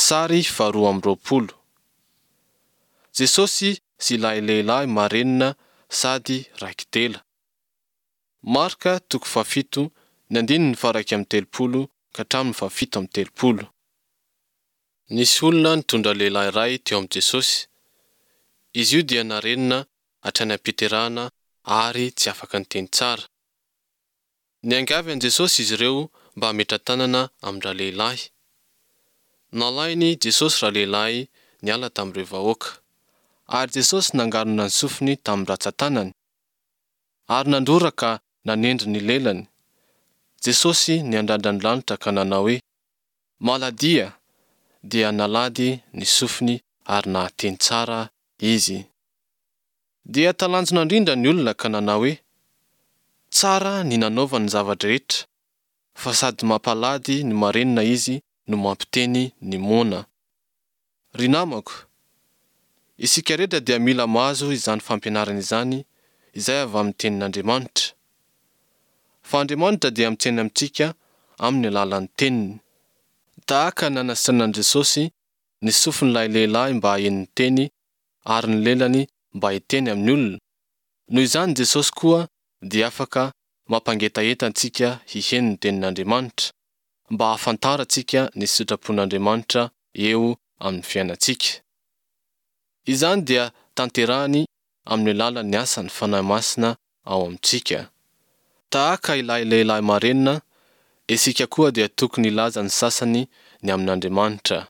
Sary faharoa amby roapolo. Jesosy sy ilay lehilahy marenina sady raiki-dela. Marka toko fahafito ny andininy faha-31 ka hatramin'ny faha-37. Nisy olona nitondra lehilahy iray teo amin'i Jesosy. Izy io dia narenina hatrany am-piterahana ary tsy afaka niteny tsara. Niangavy an'i Jesosy izy ireo mba hametra-tanana amin-dralehilahy. Nalain'i Jesosy ralehilahy niala tamin'ireo vahoaka. Ary Jesosy nangarona ny sofiny tamin'ny ratsan-tanany, ary nandrora ka nanendry ny lelany. Jesosy niandrandra ny lanitra ka nanao hoe, Maladia! Dia nalady ny sofiny ary nahateny tsara izy. Dia talanjona indrindra ny olona ka nanao hoe, Tsara ny nanaovany ny zava-drehetra, fa sady mampalady ny marenina izy no mampiteny ny moana. Ry namako, isika rehetra dia mila mahazo izany fampianarana izany izay avy amin'ny Tenin'Andriamanitra. Fa Andriamanitra dia miteny amintsika amin'ny alalan'ny Teniny. Tahaka ny nanasitranan'i Jesosy ny sofin'ilay lehilahy mba haheno ny Teny ary ny lelany mba hiteny amin'ny olona, noho izany Jesosy koa dia afaka mampangetaheta antsika hiheno ny Tenin'Andriamanitra, mba hahafantarantsika ny sitrapon'Andriamanitra eo amin'ny fiainantsika. Izany dia tanterahany amin'ny alalan'ny asan'ny Fanahy Masina ao amintsika. Tahaka ilay lehilahy marenina, isika koa dia tokony hilaza ny sasany ny amin'Andriamanitra.